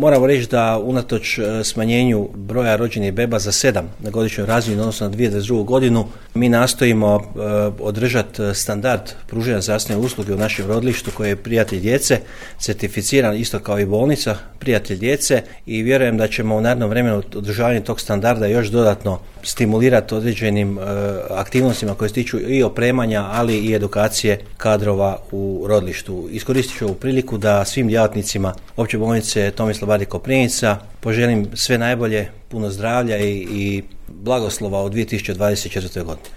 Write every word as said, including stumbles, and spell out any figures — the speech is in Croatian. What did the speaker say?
Moramo reći da unatoč smanjenju broja rođenih beba za sedam na godišnjoj razini odnosno na dvije tisuće dvadeset drugu godinu, mi nastojimo uh, održati standard pružanja zdravstvene usluge u našem rodilištu koji je Prijatelj djece, certificiran isto kao i bolnica Prijatelj djece, i vjerujem da ćemo u narednom vremenu održavanje tog standarda još dodatno stimulirati određenim uh, aktivnostima koje se tiču i opremanja, ali i edukacije kadrova u rodilištu. Iskoristit ću ovu priliku da svim djelatnicima Opće bolnice Tomislav Bar Koprivnica poželim sve najbolje, puno zdravlja i, i blagoslova u dvije tisuće dvadeset četvrtoj godini.